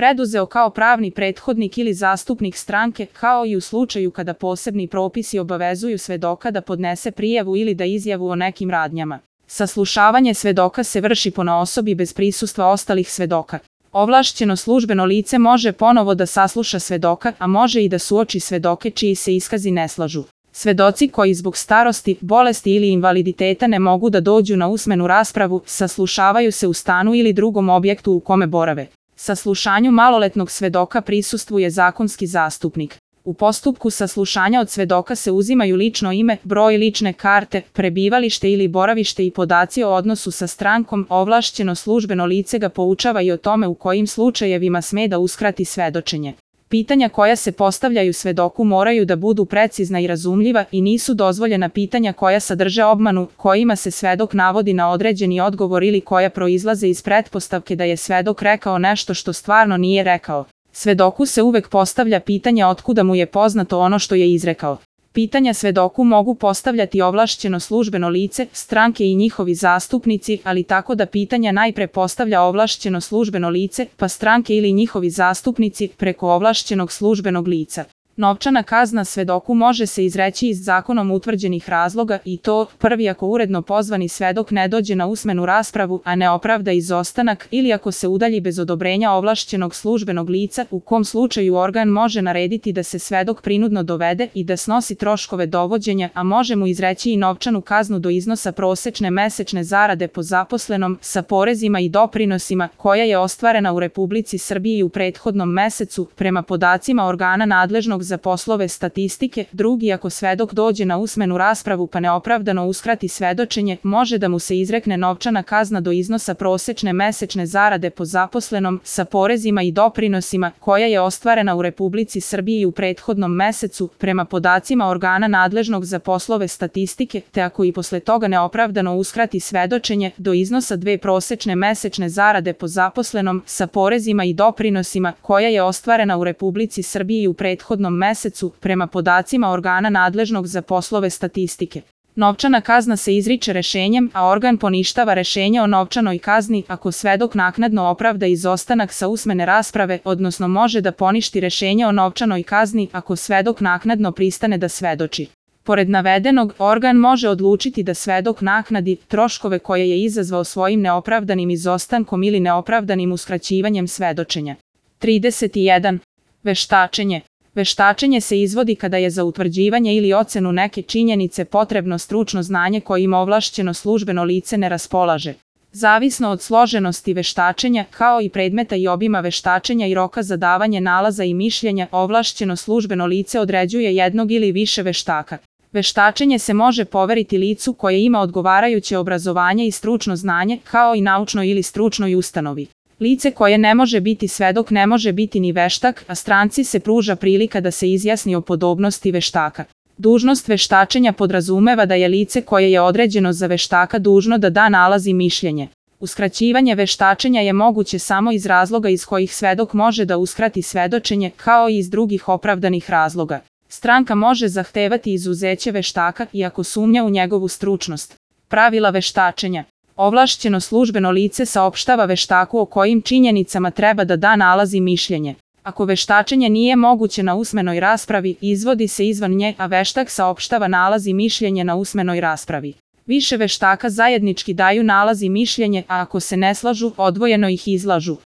preduzeo kao pravni prethodnik ili zastupnik stranke, kao i u slučaju kada posebni propisi obavezuju svedoka da podnese prijavu ili da izjavu o nekim radnjama. Saslušavanje svedoka se vrši ponaosobi bez prisustva ostalih svedoka. Ovlašćeno službeno lice može ponovo da sasluša svedoka, a može i da suoči svedoke čiji se iskazi ne slažu. Svedoci koji zbog starosti, bolesti ili invaliditeta ne mogu da dođu na usmenu raspravu, saslušavaju se u stanu ili drugom objektu u kome borave. Saslušanju maloletnog svedoka prisustvuje zakonski zastupnik. U postupku saslušanja od svedoka se uzimaju lično ime, broj lične karte, prebivalište ili boravište i podaci o odnosu sa strankom. Ovlašćeno službeno lice ga poučava i o tome u kojim slučajevima sme da uskrati svedočenje. Pitanja koja se postavljaju svedoku moraju da budu precizna i razumljiva i nisu dozvoljena pitanja koja sadrže obmanu, kojima se svedok navodi na određeni odgovor ili koja proizlaze iz pretpostavke da je svedok rekao nešto što stvarno nije rekao. Svedoku se uvek postavlja pitanje otkuda mu je poznato ono što je izrekao. Pitanja svedoku mogu postavljati ovlašćeno službeno lice, stranke i njihovi zastupnici, ali tako da pitanja najpre postavlja ovlašćeno službeno lice, pa stranke ili njihovi zastupnici preko ovlašćenog službenog lica. Novčana kazna svedoku može se izreći iz zakonom utvrđenih razloga i to, prvi ako uredno pozvani svedok ne dođe na usmenu raspravu, a ne opravda izostanak, ili ako se udalji bez odobrenja ovlašćenog službenog lica, u kom slučaju organ može narediti da se svedok prinudno dovede i da snosi troškove dovođenja, a može mu izreći i novčanu kaznu do iznosa prosečne mesečne zarade po zaposlenom, sa porezima i doprinosima, koja je ostvarena u Republici Srbiji u prethodnom mesecu, prema podacima organa nadležnog za poslove statistike. Drugi, ako svedok dođe na usmenu raspravu pa neopravdano uskrati svedočenje, može da mu se izrekne novčana kazna do iznosa prosečne mesečne zarade po zaposlenom, sa porezima i doprinosima, koja je ostvarena u Republici Srbiji u prethodnom mesecu, prema podacima organa nadležnog za poslove statistike, te ako i posle toga neopravdano uskrati svedočenje, do iznosa 2 prosečne mesečne zarade po zaposlenom, sa porezima i doprinosima, koja je ostvarena u Republici Srbiji u prethodnom mesecu, prema podacima organa nadležnog za poslove statistike. Novčana kazna se izriče rešenjem, a organ poništava rešenje o novčanoj kazni ako svedok naknadno opravda izostanak sa usmene rasprave, odnosno može da poništi rešenje o novčanoj kazni ako svedok naknadno pristane da svedoči. Pored navedenog, organ može odlučiti da svedok naknadi troškove koje je izazvao svojim neopravdanim izostankom ili neopravdanim uskraćivanjem svedočenja. 31. Veštačenje. Veštačenje se izvodi kada je za utvrđivanje ili ocenu neke činjenice potrebno stručno znanje kojim ovlašćeno službeno lice ne raspolaže. Zavisno od složenosti veštačenja, kao i predmeta i obima veštačenja i roka za davanje nalaza i mišljenja, ovlašćeno službeno lice određuje jednog ili više veštaka. Veštačenje se može poveriti licu koje ima odgovarajuće obrazovanje i stručno znanje, kao i naučnoj ili stručnoj ustanovi. Lice koje ne može biti svedok ne može biti ni veštak, a stranci se pruža prilika da se izjasni o podobnosti veštaka. Dužnost veštačenja podrazumeva da je lice koje je određeno za veštaka dužno da da nalaz i mišljenje. Uskraćivanje veštačenja je moguće samo iz razloga iz kojih svedok može da uskrati svedočenje, kao i iz drugih opravdanih razloga. Stranka može zahtevati izuzeće veštaka i ako sumnja u njegovu stručnost. Pravila veštačenja. Ovlašćeno službeno lice saopštava veštaku o kojim činjenicama treba da da nalaz i mišljenje. Ako veštačenje nije moguće na usmenoj raspravi, izvodi se izvan nje, a veštak saopštava nalaz i mišljenje na usmenoj raspravi. Više veštaka zajednički daju nalaz i mišljenje, a ako se ne slažu, odvojeno ih izlažu.